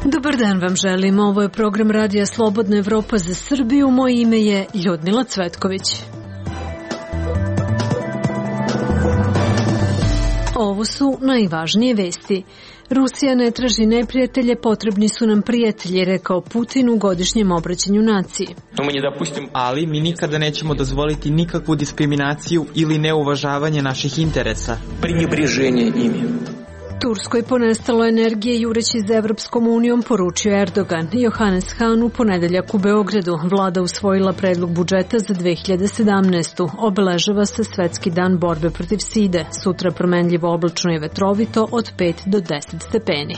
Dobar dan vam želim, ovo je program Radija Slobodna Evropa za Srbiju, moje ime je Ljudmila Cvetković. Ovo su najvažnije vesti. Rusija ne traži neprijatelje, potrebni su nam prijatelji, rekao Putin u godišnjem obraćanju naciji. Ali mi nikada nećemo dozvoliti nikakvu diskriminaciju ili neuvažavanje naših interesa. Prенебрежение ими. Turskoj ponestalo energije jureći za Evropskom unijom, poručio Erdogan. Johannes Hahn u ponedeljak u Beogradu. Vlada usvojila predlog budžeta za 2017. Obeležava se Svetski dan borbe protiv side. Sutra promenljivo oblačno i vetrovito od 5 do 10 stepeni.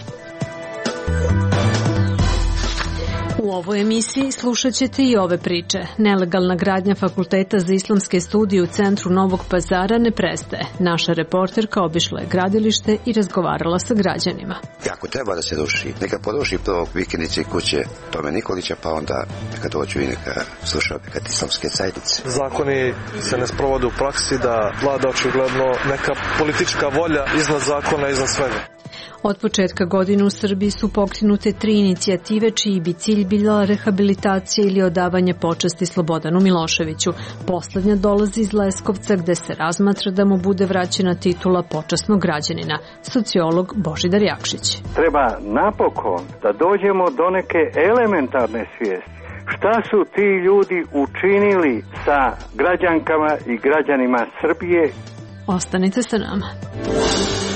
U ovoj emisiji slušat ćete i ove priče. Nelegalna gradnja Fakulteta za islamske studije u centru Novog Pazara ne prestaje. Naša reporterka obišla je gradilište i razgovarala sa građanima. Ako treba da se ruši, neka poruši prvo vikendice kuće Tome Nikolića, pa onda neka dođu i neka sluša neka islamske zajednice. Zakoni se ne sprovode u praksi, da vlada očigledno neka politička volja iznad zakona, iznad svega. Od početka godine u Srbiji su pokrenute 3 inicijative čiji bi cilj bila rehabilitacija ili odavanje počasti Slobodanu Miloševiću. Poslednja dolazi iz Leskovca gde se razmatra da mu bude vraćena titula počasnog građanina. Sociolog Božidar Jakšić. Treba napokon da dođemo do neke elementarne svijesti. Šta su ti ljudi učinili sa građankama i građanima Srbije? Ostanite sa nama.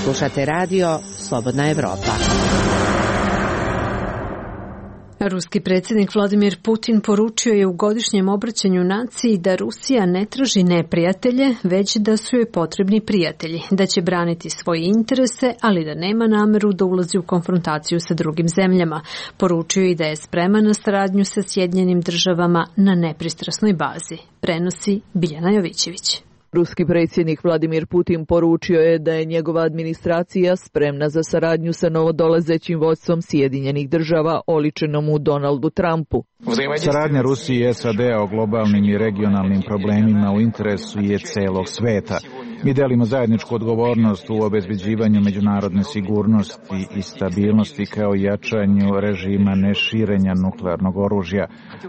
Slušate radio Slobodna Evropa. Ruski predsjednik Vladimir Putin poručio je u godišnjem obraćanju naciji da Rusija ne traži neprijatelje, već da su joj potrebni prijatelji, da će braniti svoje interese, ali da nema nameru da ulazi u konfrontaciju sa drugim zemljama. Poručio je i da je spreman na saradnju sa Sjedinjenim Državama na nepristrasnoj bazi. Prenosi Biljana Jovićević. Ruski predsjednik Vladimir Putin poručio je da je njegova administracija spremna za saradnju sa novodolazećim vodstvom Sjedinjenih Država oličenom u Donaldu Trumpu. Saradnja Rusije i SAD-a o globalnim i regionalnim problemima u interesu je celog sveta. Mi delimo zajedničku odgovornost u obezbeđivanju međunarodne sigurnosti i stabilnosti kao i jačanju režima neširenja nuklearnog oružja.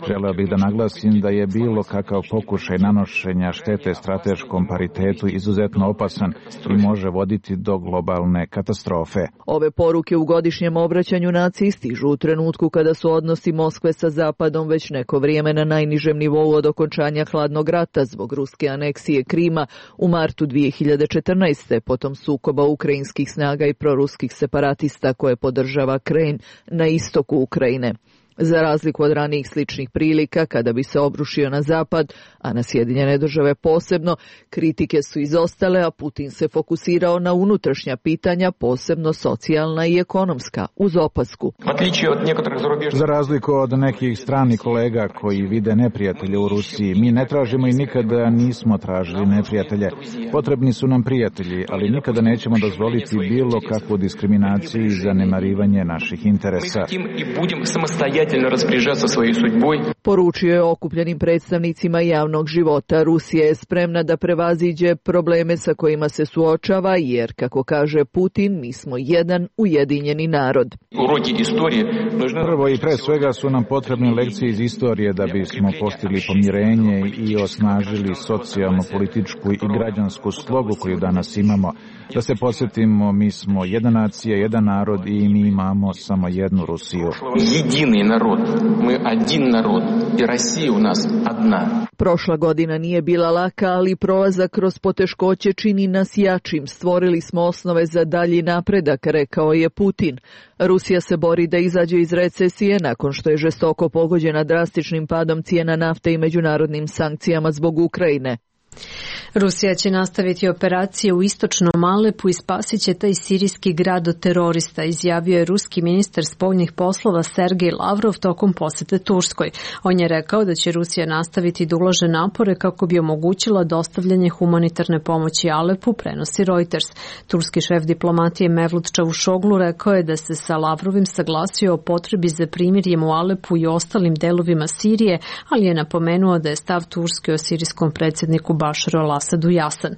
Želeo bih da naglasim da je bilo kakav pokušaj nanošenja štete strateškom paritetu izuzetno opasan i može voditi do globalne katastrofe. Ove poruke u godišnjem obraćanju naciji stižu u trenutku kada su odnosi Moskve sa Zapadom već neko vrijeme na najnižem nivou od okončanja hladnog rata zbog ruske aneksije Krima u martu 2014. potom sukoba ukrajinskih snaga i proruskih separatista koje podržava Kremlj na istoku Ukrajine. Za razliku od ranijih sličnih prilika, kada bi se obrušio na Zapad, a na Sjedinjene Države posebno, kritike su izostale, a Putin se fokusirao na unutrašnja pitanja, posebno socijalna i ekonomska, uz opasku. Za razliku od nekih stranih kolega koji vide neprijatelje u Rusiji, mi ne tražimo i nikada nismo tražili neprijatelje. Potrebni su nam prijatelji, ali nikada nećemo dozvoliti bilo kakvu diskriminaciju i zanemarivanje naših interesa. Poručio je okupljenim predstavnicima javnog života. Rusija je spremna da prevaziđe probleme sa kojima se suočava, jer, kako kaže Putin, mi smo jedan ujedinjeni narod. Prvo i pre svega su nam potrebne lekcije iz istorije da bismo postigli pomirenje i osnažili socijalnu, političku i građansku slogu koju danas imamo. Da se podsjetimo, mi smo jedna nacija, jedan narod i mi imamo samo jednu Rusiju. Jedini narod, mi один narod i Rusija u nas jedna. Prošla godina nije bila laka, ali prolazak kroz poteškoće čini nas jačim. Stvorili smo osnove za dalji napredak, rekao je Putin. Rusija se bori da izađe iz recesije nakon što je žestoko pogođena drastičnim padom cijena nafte i međunarodnim sankcijama zbog Ukrajine. Rusija će nastaviti operacije u istočnom Alepu i spasit će taj sirijski grad od terorista, izjavio je ruski ministar spoljnih poslova Sergej Lavrov tokom posete Turskoj. On je rekao da će Rusija nastaviti da ulaže napore kako bi omogućila dostavljanje humanitarne pomoći Alepu, prenosi Reuters. Turski šef diplomatije Mevlut Čavuşoglu rekao je da se sa Lavrovim saglasio o potrebi za primirjem u Alepu i ostalim delovima Sirije, ali je napomenuo da je stav Turske o sirijskom predsjedniku Bašaru al-Asadu jasan.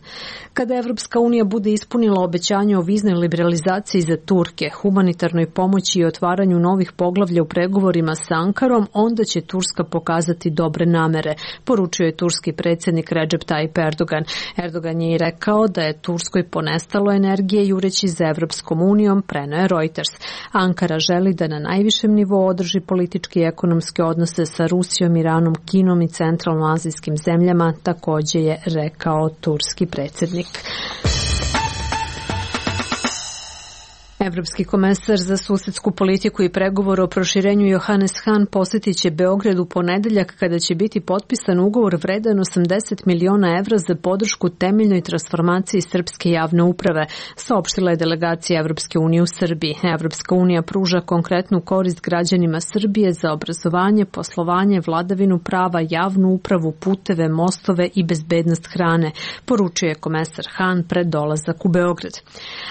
Kada Evropska unija bude ispunila obećanje o viznoj liberalizaciji za Turke, humanitarnoj pomoći i otvaranju novih poglavlja u pregovorima sa Ankarom, onda će Turska pokazati dobre namere, poručio je turski predsjednik Recep Tayyip Erdogan. Erdogan je i rekao da je Turskoj ponestalo energije jureći za Evropskom unijom, preneo je Reuters. Ankara želi da na najvišem nivou održi političke i ekonomske odnose sa Rusijom, Iranom, Kinom i centralnoazijskim zemljama, takođe je rekao turski predsjednik. Evropski komesar za susedsku politiku i pregovor o proširenju Johannes Hahn posjetit će Beograd u ponedeljak kada će biti potpisan ugovor vredan 80 miliona evra za podršku temeljnoj transformaciji srpske javne uprave, saopštila je delegacija Evropske unije u Srbiji. Evropska unija pruža konkretnu korist građanima Srbije za obrazovanje, poslovanje, vladavinu prava, javnu upravu, puteve, mostove i bezbednost hrane, poručio je komesar Hahn pred dolazak u Beograd.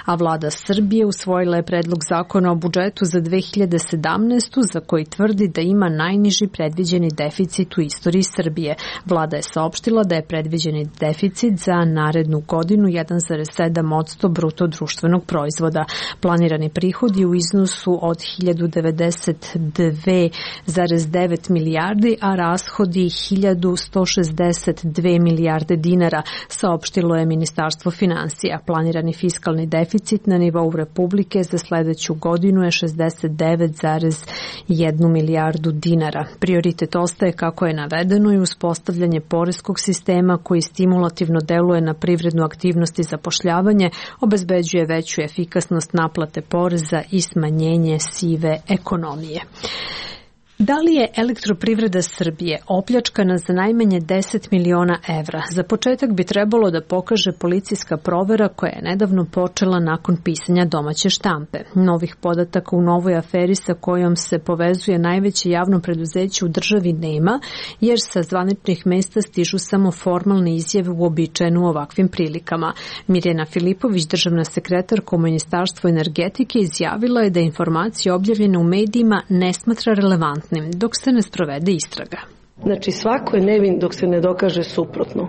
A vlada Srbije usvojila je predlog zakona o budžetu za 2017. za koji tvrdi da ima najniži predviđeni deficit u istoriji Srbije. Vlada je saopštila da je predviđeni deficit za narednu godinu 1,7% bruto društvenog proizvoda. Planirani prihodi u iznosu od 1092,9 milijardi, a rashodi 1162 milijarde dinara, saopštilo je Ministarstvo finansija. Planirani fiskalni deficit na nivou Republike za sledeću godinu je 69,1 milijardu dinara. Prioritet ostaje, kako je navedeno, i uspostavljanje poreskog sistema koji stimulativno deluje na privrednu aktivnost i zapošljavanje, obezbeđuje veću efikasnost naplate poreza i smanjenje sive ekonomije. Da li je Elektroprivreda Srbije opljačkana za najmanje 10 miliona evra? Za početak bi trebalo da pokaže policijska provera koja je nedavno počela nakon pisanja domaće štampe. Novih podataka u novoj aferi sa kojom se povezuje najveće javno preduzeće u državi nema, jer sa zvaničnih mesta stižu samo formalne izjave uobičajene u ovakvim prilikama. Mirjana Filipović, državna sekretarka u Ministarstvu energetike, izjavila je da informacije objavljene u medijima ne smatra relevantnim dok se ne sprovede istraga. Znači, svako je nevin dok se ne dokaže suprotno.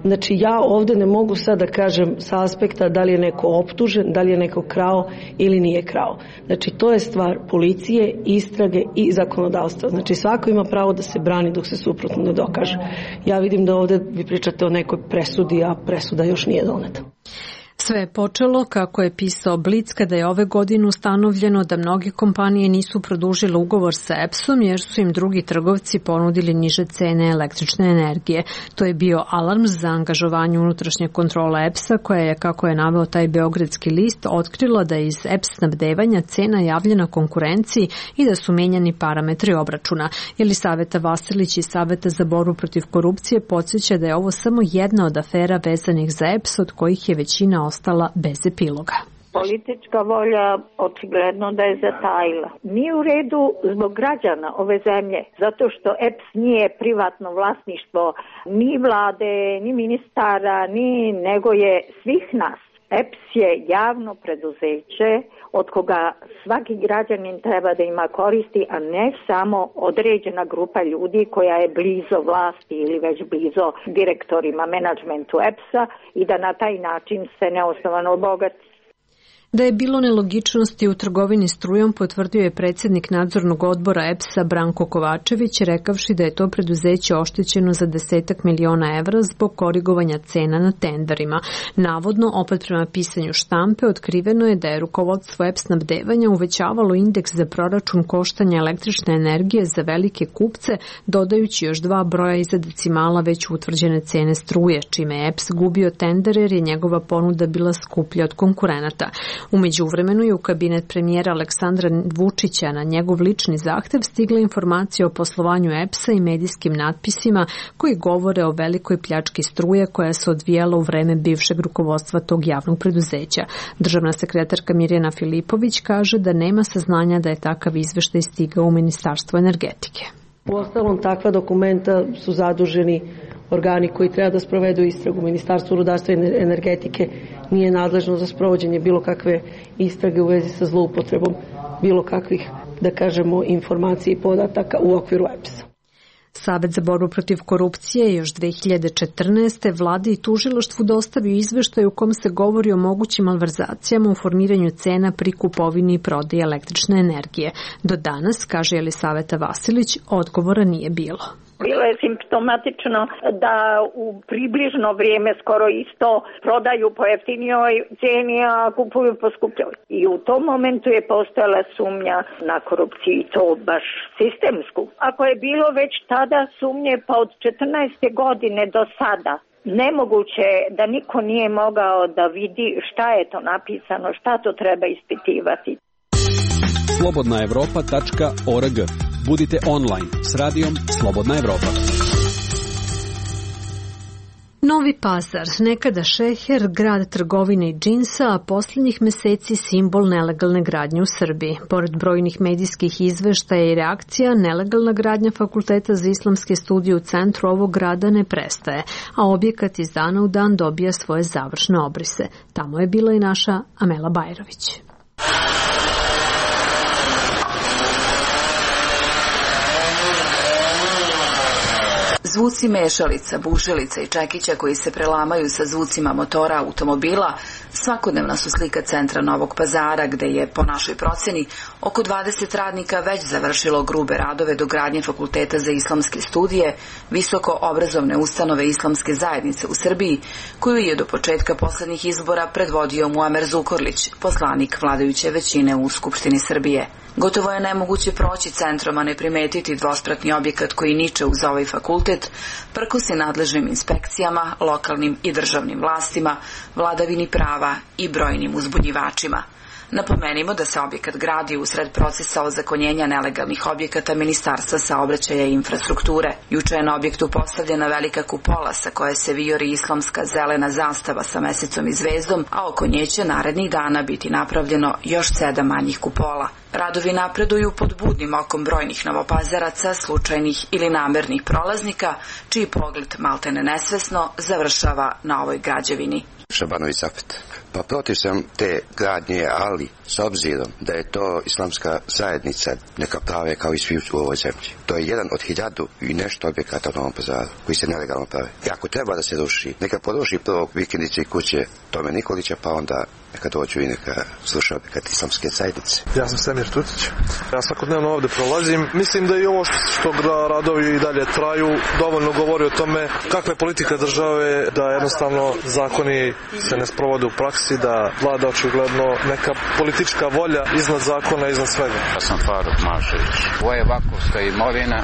Znači, ja ovde ne mogu sad da kažem sa aspekta da li je neko optužen, da li je neko krao ili nije krao. Znači, to je stvar policije, istrage i zakonodavstva. Znači, svako ima pravo da se brani dok se suprotno ne dokaže. Ja vidim da ovde vi pričate o nekoj presudi, a presuda još nije doneta. Sve je počelo, kako je pisao Blic, kada je ove godine ustanovljeno da mnoge kompanije nisu produžile ugovor sa EPS-om jer su im drugi trgovci ponudili niže cene električne energije. To je bio alarm za angažovanje unutrašnje kontrole EPS-a, koja je, kako je naveo taj beogradski list, otkrila da je iz EPS snabdevanja cena javljena konkurenciji i da su menjani parametri obračuna. Jelisaveta Vasilić iz Saveta za borbu protiv korupcije podsjeća da je ovo samo jedna od afera vezanih za EPS, od kojih je većina ostala bez epiloga. Politička volja očigledno da je zatajila. Nije u redu zbog građana ove zemlje, zato što EPS nije privatno vlasništvo ni vlade, ni ministara, nego je svih nas. EPS je javno preduzeće od koga svaki građanin treba da ima koristi, a ne samo određena grupa ljudi koja je blizo vlasti ili već blizo direktorima, menadžmentu EPS-a i da na taj način se neosnovano obogati. Da je bilo nelogičnosti u trgovini strujom, potvrdio je predsjednik nadzornog odbora EPS-a Branko Kovačević, rekavši da je to preduzeće oštećeno za 10 miliona evra zbog korigovanja cena na tenderima. Navodno, opet prema pisanju štampe, otkriveno je da je rukovodstvo EPS snabdevanja uvećavalo indeks za proračun koštanja električne energije za velike kupce, dodajući još 2 broja iza decimala već utvrđene cene struje, čime je EPS gubio tender jer je njegova ponuda bila skuplja od konkurenata. U međuvremenu je u kabinet premijera Aleksandra Vučića na njegov lični zahtev stigla informacija o poslovanju EPS-a i medijskim natpisima koji govore o velikoj pljački struje koja se odvijala u vreme bivšeg rukovodstva tog javnog preduzeća. Državna sekretarka Mirjana Filipović kaže da nema saznanja da je takav izveštaj stigao u Ministarstvo energetike. Uostalom, takva dokumenta su zaduženi organi koji treba da sprovedu istragu. Ministarstvo rudarstva i energetike nije nadležno za sprovođenje bilo kakve istrage u vezi sa zloupotrebom bilo kakvih, da kažemo, informacija i podataka u okviru EPS-a. Savet za borbu protiv korupcije još 2014. vladi i tužilaštvu dostavio izveštaj u kom se govori o mogućim malverzacijama u formiranju cena pri kupovini i prodaji električne energije. Do danas, kaže Jelisaveta Vasilić, odgovora nije bilo. Bilo je simptomatično da u približno vrijeme skoro isto prodaju po jeftinijoj cijeni, a kupuju po skupljoj. I u tom momentu je postojala sumnja na korupciju i to baš sistemsku. Ako je bilo već tada sumnje, pa od 14. godine do sada, nemoguće da niko nije mogao da vidi šta je to napisano, šta to treba ispitivati. slobodnaevropa.org. Budite online s radijom Slobodna Evropa. Novi Pazar, nekada šeher, grad trgovine i džinsa, a posljednjih meseci simbol nelegalne gradnje u Srbiji. Pored brojnih medijskih izveštaja i reakcija, nelegalna gradnja Fakulteta za islamske studije u centru ovog grada ne prestaje, a objekat iz dana u dan dobija svoje završne obrise. Tamo je bila i naša Amela Bajrović. Zvuci mešalica, bušilica i čekića koji se prelamaju sa zvucima motora automobila svakodnevna su slika centra Novog Pazara, gde je, po našoj proceni, oko 20 radnika već završilo grube radove do gradnje Fakulteta za islamske studije, visoko obrazovne ustanove islamske zajednice u Srbiji, koju je do početka poslednjih izbora predvodio Muamer Zukorlić, poslanik vladajuće većine u Skupštini Srbije. Gotovo je nemoguće proći centrom, a ne primetiti dvospratni objekat koji niče uz ovaj fakultet, prkosi nadležnim inspekcijama, lokalnim i državnim vlastima, vladavini prava i brojnim uzbunjivačima. Napomenimo da se objekat gradi usred procesa ozakonjenja nelegalnih objekata Ministarstva saobraćaja i infrastrukture. Juče je na objektu postavljena velika kupola sa koje se vijori islamska zelena zastava sa mesecom i zvezdom, a oko nje će narednih dana biti napravljeno još 7 manjih kupola. Radovi napreduju pod budnim okom brojnih novopazaraca, slučajnih ili namernih prolaznika, čiji pogled maltene nesvesno završava na ovoj građevini. Šabanović Zapet. Pa protiv sam te gradnje, ali s obzirom da je to islamska zajednica, neka prave kao i svi u ovoj zemlji. To je jedan od 1000 i nešto objekata u Novom Pazaru koji se nelegalno prave. I ako treba da se ruši, neka poruši prvo vikendice i kuće Tome Nikolića, pa onda neka dođu i neka sluša objekat islamske zajednice. Ja sam Semir Tutić. Ja svakodnevno ovde prolazim. Mislim da i ovo što radovi i dalje traju dovoljno govori o tome kakva je politika države, da jednostavno zakoni se ne sprovode u praksi, da vlada očigledno neka politička volja iznad zakona, iznad svega. Ja sam Faruk Mašević. Ovo je vakufska imovina,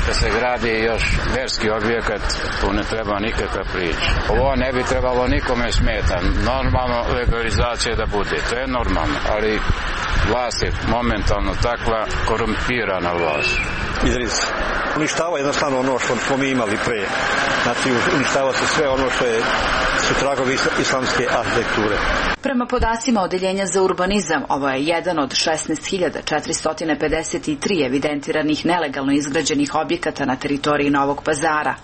da se gradi još verski objekat, tu ne treba nikakva priča. Ovo ne bi trebalo nikome smeta. Normalno legalizacija da bude, to je normalno, ali vlast je momentalno takva korumpirana vlast. Idris. Uništava jednostavno ono što smo mi imali pre. Znači, uništava se sve ono što su tragovi islamske arhitekture. Prema podacima Odeljenja za urbanizam, ovo je jedan od 16.453 evidentiranih nelegalno izgrađenih objekata na teritoriji Novog Pazara.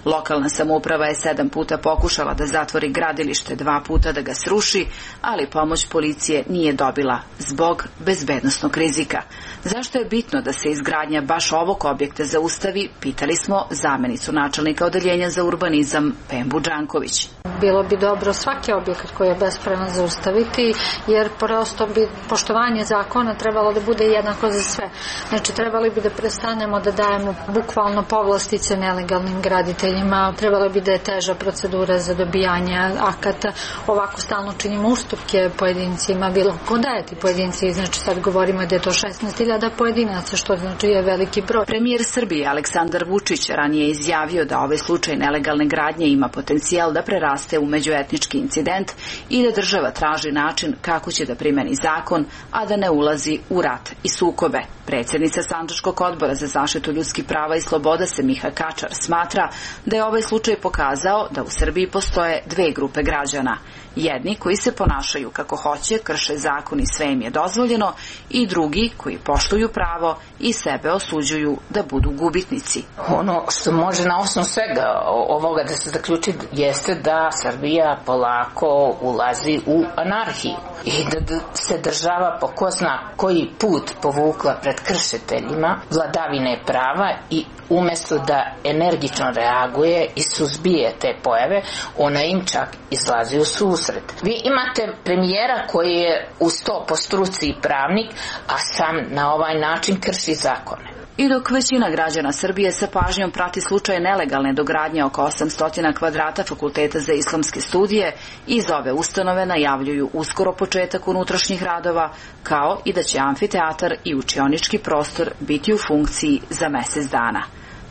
Lokalna samouprava je 7 puta pokušala da zatvori gradilište, 2 puta da ga sruši, ali pomoć policije nije dobila zbog bezbednosnog rizika. Zašto je bitno da se izgradnja baš ovog objekta zaustavi, pitali smo zamenicu načelnika Odeljenja za urbanizam Pembu Đanković. Bilo bi dobro svaki objekat koji je bespravan zaustaviti, jer prosto bi poštovanje zakona trebalo da bude jednako za sve. Znači, trebali bi da prestanemo da dajemo bukvalno povlastice nelegalnim graditeljima, trebalo bi da je teža procedura za dobijanje akata. Ovako stalno činimo ustupke pojedincima, bilo ko daje ti pojedinci, znači sad govorimo da je to 16.000 pojedinaca, što znači je veliki broj. Premijer Srbije Aleksandar Vučić ranije izjavio da ovaj slučaj nelegalne gradnje ima potencijal da preraste u međuetnički incident i da država traži način kako će da primeni zakon, a da ne ulazi u rat i sukobe. Predsjednica Sandžačkog odbora za zaštitu ljudskih prava i sloboda Semiha Kačar smatra da je ovaj slučaj pokazao da u Srbiji postoje dve grupe građana. Jedni koji se ponašaju kako hoće, krše zakon i sve im je dozvoljeno, i drugi koji poštuju pravo i sebe osuđuju da budu gubitnici. Ono što može na osnovu svega ovoga da se zaključi jeste da Srbija polako ulazi u anarhiju i da se država po ko zna koji put povukla pred kršiteljima vladavine prava i umjesto da energično reaguje i suzbije te pojave, ona im čak izlazi u susret. Vi imate premijera koji je uz to po struci i pravnik, a sam na ovaj način krši zakone. I dok većina građana Srbije sa pažnjom prati slučaj nelegalne dogradnje oko 800 kvadrata Fakulteta za islamske studije, iz ove ustanove najavljuju uskoro početak unutrašnjih radova, kao i da će amfiteatar i učionički prostor biti u funkciji za mjesec dana.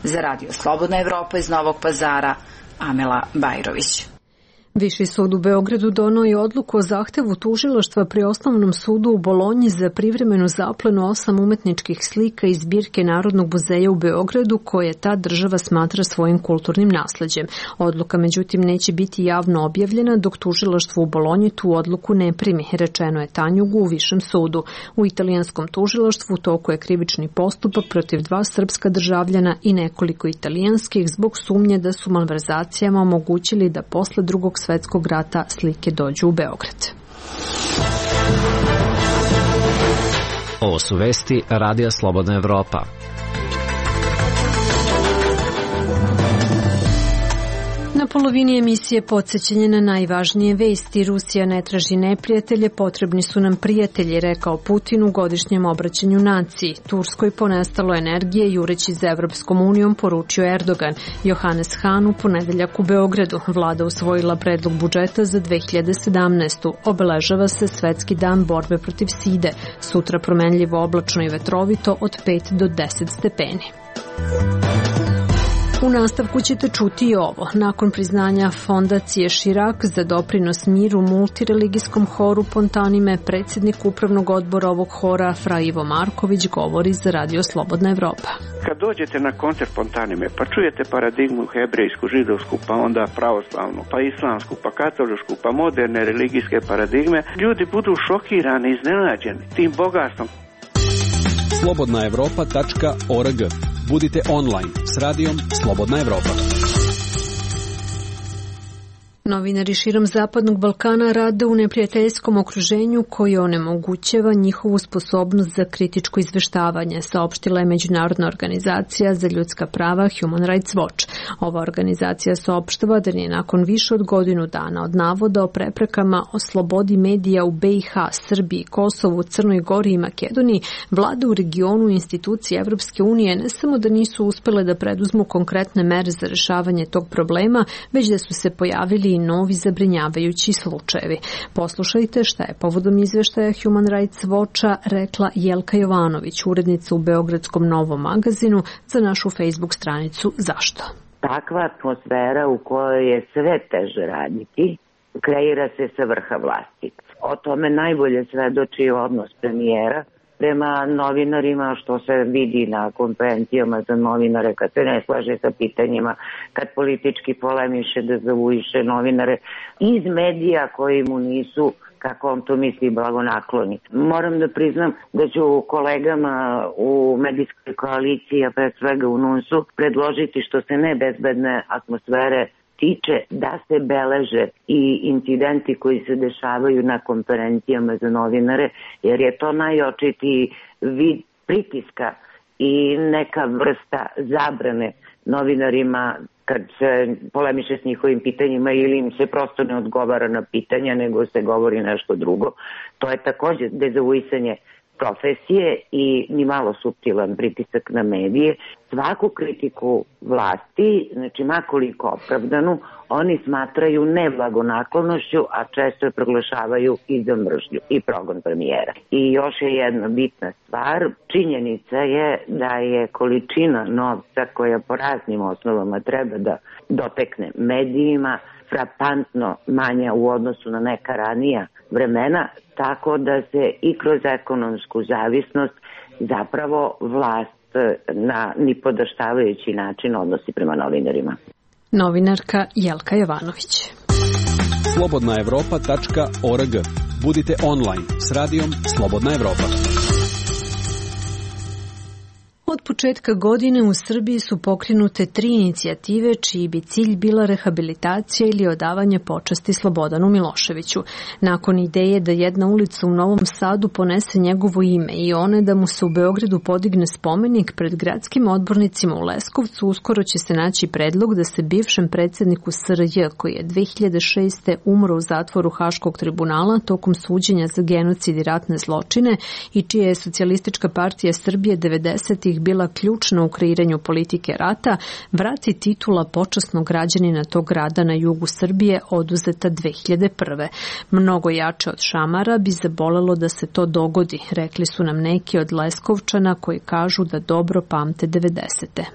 Za Radio Slobodna Evropa iz Novog Pazara, Amela Bajrović. Viši sud u Beogradu donio je odluku o zahtevu tužilaštva pri Osnovnom sudu u Bolonji za privremenu zaplenu 8 umetničkih slika iz zbirke Narodnog muzeja u Beogradu, koje ta država smatra svojim kulturnim nasleđem. Odluka međutim neće biti javno objavljena dok tužilaštvo u Bolonji tu odluku ne primi, rečeno je Tanjugu u Višem sudu. U italijanskom tužilaštvu u toku je krivični postupak protiv 2 srpska državljana i nekoliko italijanskih zbog sumnje da su malverzacijama omogućili da posle Drugog svjetskog rata slike dođu u Beograd. Ovo su vesti Radija Slobodna Evropa. Na polovini emisije podsjećanje na najvažnije vesti. Rusija ne traži neprijatelje, potrebni su nam prijatelji, rekao Putin u godišnjem obraćanju naciji. Turskoj ponestalo energije, jureći za Evropskom unijom, poručio Erdogan. Johannes Hahn u ponedeljak u Beogradu. Vlada usvojila predlog budžeta za 2017. Obeležava se Svetski dan borbe protiv side. Sutra promenljivo oblačno i vetrovito od 5 do 10 stepeni. U nastavku ćete čuti i ovo. Nakon priznanja fondacije Širak za doprinos miru multireligijskom horu Pontanime, predsjednik upravnog odbora ovog hora Fra Ivo Marković govori za Radio Slobodna Evropa. Kad dođete na koncert Pontanime, pa čujete paradigmu hebrejsku, židovsku, pa onda pravoslavnu, pa islamsku, pa katoličku, pa moderne religijske paradigme, ljudi budu šokirani, iznenađeni tim bogatstvom. slobodnaevropa.org. Budite online s radijom Slobodna Evropa. Novinari širom Zapadnog Balkana rade u neprijateljskom okruženju koje onemogućava njihovu sposobnost za kritičko izveštavanje, saopštila je Međunarodna organizacija za ljudska prava Human Rights Watch. Ova organizacija saopštava da je nakon više od godinu dana od navoda o preprekama o slobodi medija u BiH, Srbiji, Kosovu, Crnoj Gori i Makedoniji, vlade u regionu i institucije Evropske unije ne samo da nisu uspele da preduzmu konkretne mere za rešavanje tog problema, već da su se pojavili i novi zabrinjavajući slučajevi. Poslušajte šta je povodom izveštaja Human Rights Watcha rekla Jelka Jovanović, urednica u Beogradskom Novom magazinu, za našu Facebook stranicu Zašto? Takva atmosfera u kojoj je sve teže raditi, kreira se sa vrha vlasti. O tome najbolje svedoči odnos premijera prema novinarima, što se vidi na konferencijama za novinare kad se ne slaže sa pitanjima, kad politički polemiše, dezavuiše novinare iz medija koji mu nisu, kako on to misli, blagonakloni. Moram da priznam da ću kolegama u medijskoj koaliciji, a pre svega u NUNS-u, predložiti što se nebezbedne atmosfere tiče da se beleže i incidenti koji se dešavaju na konferencijama za novinare, jer je to najočitiji vid pritiska i neka vrsta zabrane novinarima kad se polemiše s njihovim pitanjima ili im se prosto ne odgovara na pitanja, nego se govori nešto drugo. To je također dezavuisanje profesije i ni malo suptilan pritisak na medije, svaku kritiku vlasti, znači makoliko opravdanu, oni smatraju neblagonaklonošću, a često je proglašavaju i za mržnju i progon premijera. I još je jedna bitna stvar, činjenica je da je količina novca koja po raznim osnovama treba da dotekne medijima frapantno manja u odnosu na neka ranija vremena, tako da se i kroz ekonomsku zavisnost zapravo vlast na nipodaštavajući način odnosi prema novinarima. Novinarka Jelka Jovanović. slobodnaevropa.org. Budite online s radijom Slobodna Evropa. Od početka godine u Srbiji su pokrenute 3 inicijative čiji bi cilj bila rehabilitacija ili odavanje počasti Slobodanu Miloševiću. Nakon ideje da jedna ulica u Novom Sadu ponese njegovo ime i one da mu se u Beogradu podigne spomenik, pred gradskim odbornicima u Leskovcu uskoro će se naći predlog da se bivšem predsjedniku SRJ, koji je 2006. umro u zatvoru Haškog tribunala tokom suđenja za genocid i ratne zločine i čija je Socijalistička partija Srbije 90-ih bila ključna u kreiranju politike rata, vrati titula počasnog građanina tog grada na jugu Srbije oduzeta 2001. Mnogo jače od šamara bi zabolelo da se to dogodi, rekli su nam neki od Leskovčana koji kažu da dobro pamte 90.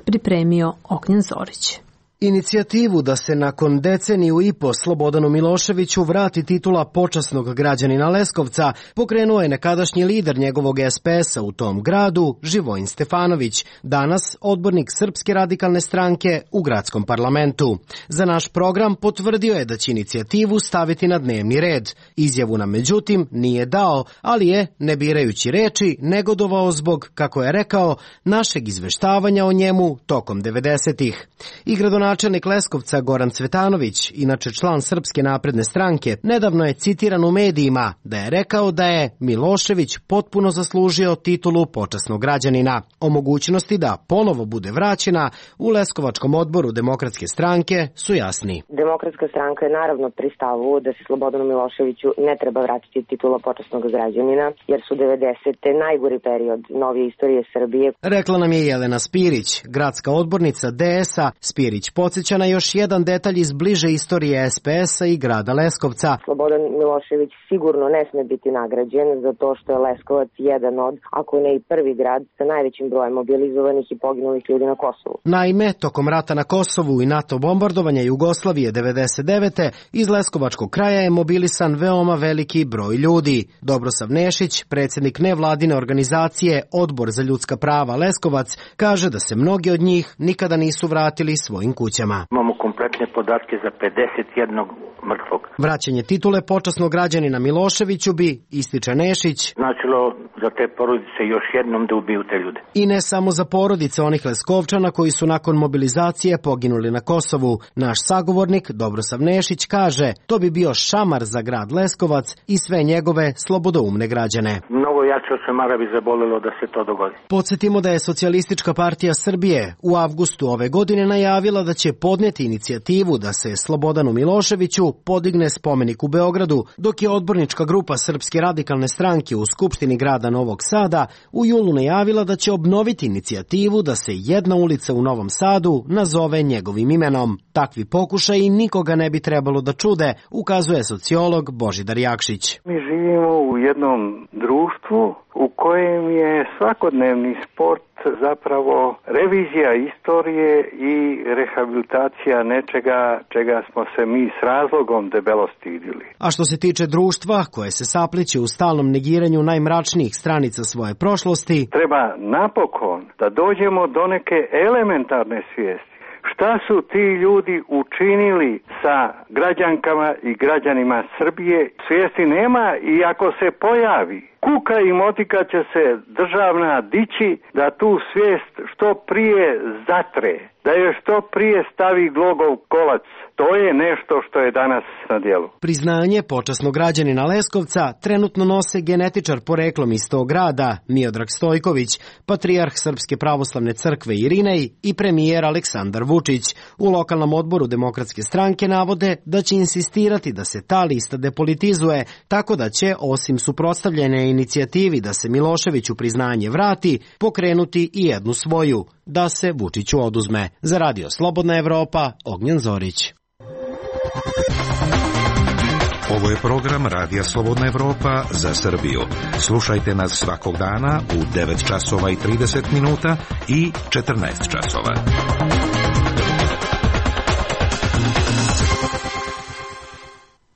Pripremio Ognjen Zorić. Inicijativu da se nakon deceniju i po Slobodanu Miloševiću vrati titula počasnog građanina Leskovca pokrenuo je nekadašnji lider njegovog SPS-a u tom gradu, Živojin Stefanović, danas odbornik Srpske radikalne stranke u gradskom parlamentu. Za naš program potvrdio je da će inicijativu staviti na dnevni red. Izjavu nam međutim nije dao, ali je, ne birajući reči, negodovao zbog, kako je rekao, našeg izveštavanja o njemu tokom 90-ih. I gradonačelnik Leskovca Goran Cvetanović, inače član Srpske napredne stranke, nedavno je citiran u medijima da je rekao da je Milošević potpuno zaslužio titulu počasnog građanina. O mogućnosti da ponovo bude vraćena u Leskovačkom odboru Demokratske stranke su jasni. Demokratska stranka je naravno pri stavu da se Slobodanu Miloševiću ne treba vratiti titula počasnog građanina, jer su 90. najgori period novije istorije Srbije. Rekla nam je Jelena Spirić, gradska odbornica DS-a. Spirić podsjeća na još jedan detalj iz bliže istorije SPS-a i grada Leskovca. Slobodan Milošević sigurno ne sme biti nagrađen zato što je Leskovac jedan od, ako ne i prvi grad, sa najvećim brojem mobilizovanih i poginulih ljudi na Kosovu. Naime, tokom rata na Kosovu i NATO bombardovanja Jugoslavije 99. iz Leskovačkog kraja je mobilisan veoma veliki broj ljudi. Dobrosav Nešić, predsjednik nevladine organizacije Odbor za ljudska prava Leskovac, kaže da se mnogi od njih nikada nisu vratili svojim kućama. Imamo kompletne podatke za 51 mrtvog. Vraćanje titule počasnog građanina Miloševiću bi, ističe Nešić, značilo za te porodice još jednom da ubiju te ljude. I ne samo za porodice onih Leskovčana koji su nakon mobilizacije poginuli na Kosovu. Naš sagovornik Dobrosav Nešić kaže, to bi bio šamar za grad Leskovac i sve njegove slobodoumne građane. Mnogo jače od šamara bi zabolelo da se to dogodi. Podsjetimo da je Socijalistička partija Srbije u avgustu ove godine najavila da će podneti inicijativu da se Slobodanu Miloševiću podigne spomenik u Beogradu, dok je odbornička grupa Srpske radikalne stranke u Skupštini grada Novog Sada u julu najavila da će obnoviti inicijativu da se jedna ulica u Novom Sadu nazove njegovim imenom. Takvi pokušaji nikoga ne bi trebalo da čude, ukazuje sociolog Božidar Jakšić. Mi živimo u jednom društvu u kojem je svakodnevni sport zapravo revizija istorije i rehabilitacija nečega čega smo se mi s razlogom debelo stidili. A što se tiče društva koje se sapliće u stalnom negiranju najmračnijih stranica svoje prošlosti, treba napokon da dođemo do neke elementarne svijesti. Šta su ti ljudi učinili sa građankama i građanima Srbije? Svijesti nema i ako se pojavi, kuka i motika će se državna dići da tu svijest što prije zatre. da je što prije stavi glogov kolac. To je nešto što je danas na djelu. Priznanje počasnog građanina Leskovca trenutno nose genetičar poreklom iz tog grada Miodrag Stojković, patrijarh Srpske pravoslavne crkve Irinej i premijer Aleksandar Vučić. U lokalnom odboru Demokratske stranke navode da će insistirati da se ta lista depolitizuje, tako da će, osim suprotstavljene inicijativi da se Miloševiću priznanje vrati, pokrenuti i jednu svoju, da se Vučiću oduzme. Za Radio Slobodna Evropa, Ognjen Zorić. Ovo je program Radija Slobodna Evropa za Srbiju. Slušajte nas svakog dana u 9 časova i 30 minuta i 14 časova.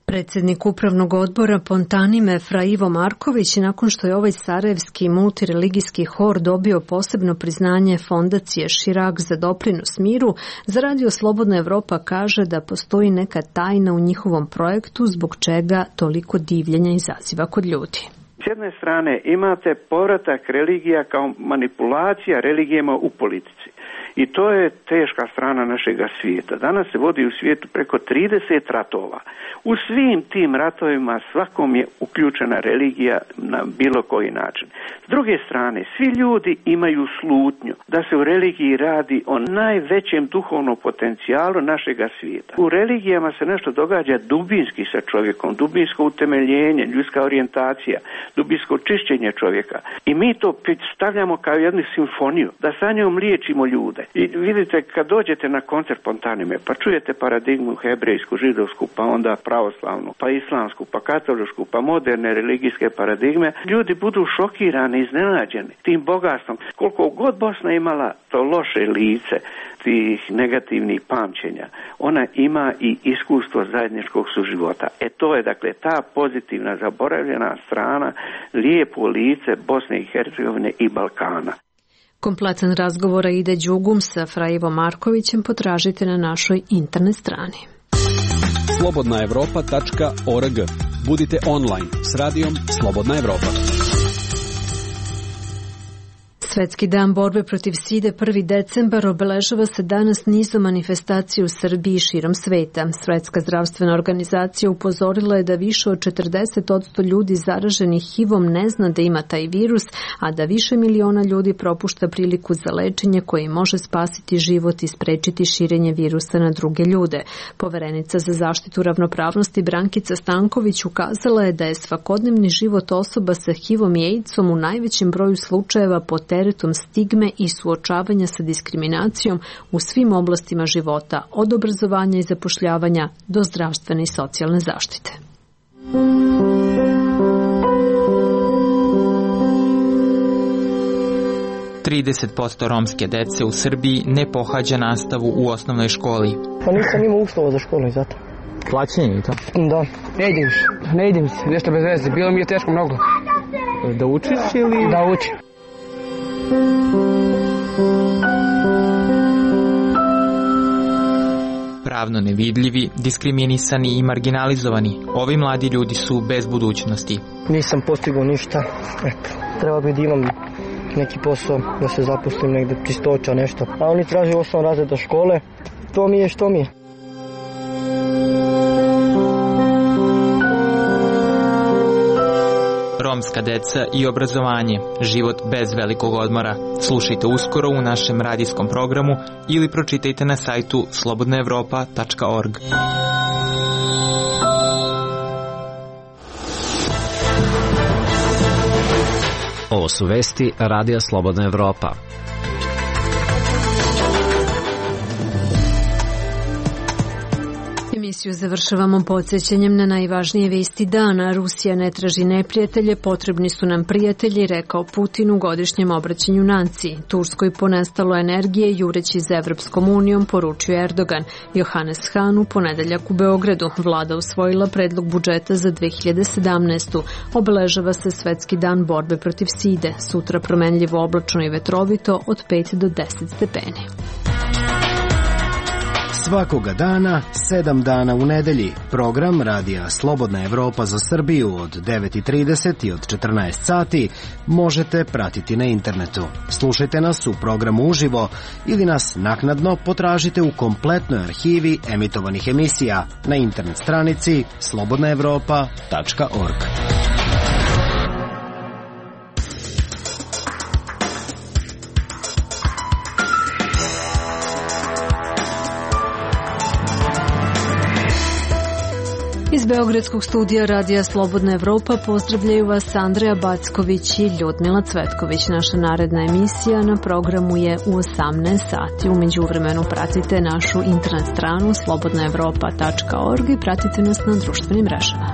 Predsjednik Upravnog odbora Pontanime Fra Ivo Marković, nakon što je ovaj sarajevski multireligijski hor dobio posebno priznanje fondacije Širak za doprinos miru, za Radio Slobodna Evropa kaže da postoji neka tajna u njihovom projektu zbog čega toliko divljenja izaziva kod ljudi. S jedne strane imate povratak religija kao manipulacija religijama u politici. I to je teška strana našega svijeta. Danas se vodi u svijetu preko 30 ratova. U svim tim ratovima svakom je uključena religija na bilo koji način. S druge strane, svi ljudi imaju slutnju da se u religiji radi o najvećem duhovnom potencijalu našega svijeta. U religijama se nešto događa dubinski sa čovjekom, dubinsko utemeljenje, ljudska orijentacija, dubinsko čišćenje čovjeka. I mi to stavljamo kao jednu simfoniju, da sa njom liječimo ljude. I vidite, kad dođete na koncert Pontanime, pa čujete paradigmu hebrejsku, židovsku, pa onda pravoslavnu, pa islamsku, pa katoličku, pa moderne religijske paradigme, ljudi budu šokirani, iznenađeni tim bogatstvom. Koliko god Bosna imala to loše lice, tih negativnih pamćenja, ona ima i iskustvo zajedničkog suživota. To je dakle ta pozitivna, zaboravljena strana, lijepo lice Bosne i Hercegovine i Balkana. Kompletan razgovor ide Đugum sa Fra Ivo Markovićem potražite na našoj internet strani. slobodnaevropa.org. Budite online s radijom Slobodna Evropa. Svetski dan borbe protiv side 1. decembar obeležava se danas nizom manifestacija u Srbiji i širom sveta. Svetska zdravstvena organizacija upozorila je da više od 40% ljudi zaraženih HIV-om ne zna da ima taj virus, a da više miliona ljudi propušta priliku za lečenje koje može spasiti život i sprečiti širenje virusa na druge ljude. Poverenica za zaštitu ravnopravnosti Brankica Stanković ukazala je da je svakodnevni život osoba sa HIV-om i AIDS-om u najvećem broju slučajeva pod teretom stigme i suočavanja sa diskriminacijom u svim oblastima života, od obrazovanja i zapošljavanja do zdravstvene i socijalne zaštite. % romske dece u Srbiji ne pohađa nastavu u osnovnoj školi. Pa nisam imao uslova za školu i zato. Plaćenje i to? Da. Ne idem se, nešto bez veze. Bilo mi je teško mnogo. Da učiš ili? Da učim. Pravno nevidljivi, diskriminisani i marginalizovani, ovi mladi ljudi su bez budućnosti. Nisam postigao ništa. Treba bi da imam neki posao, da se zaposlim negde, čistoća, nešto. A oni traže 8 razreda škole. To mi je što mi je. Romska deca i obrazovanje, život bez velikog odmora. Slušajte uskoro u našem radijskom programu ili pročitajte na sajtu slobodnaevropa.org. Ovo su vesti Radija Slobodna Evropa. Emisiju završavamo podsjećanjem na najvažnije vesti dana. Rusija ne traži neprijatelje, potrebni su nam prijatelji, rekao Putin u godišnjem obraćanju naciji. Turskoj ponestalo energije, jureći za Evropskom unijom, poručio Erdogan. Johannes Hahn u ponedeljak u Beogradu. Vlada usvojila predlog budžeta za 2017. Obeležava se Svetski dan borbe protiv side. Sutra promenljivo oblačno i vetrovito od 5 do 10 stepeni. Svakoga dana, 7 dana u nedelji, program Radija Slobodna Evropa za Srbiju od 9:30 i od 14 sati možete pratiti na internetu. Slušajte nas u programu uživo ili nas naknadno potražite u kompletnoj arhivi emitovanih emisija na internet stranici slobodnaevropa.org. Iz Beogradskog studija Radija Slobodna Evropa pozdravljaju vas Andreja Backović i Ljudmila Cvetković. Naša naredna emisija na programu je u 18 sati. U međuvremenu pratite našu internet stranu slobodnaevropa.org i pratite nas na društvenim mrežama.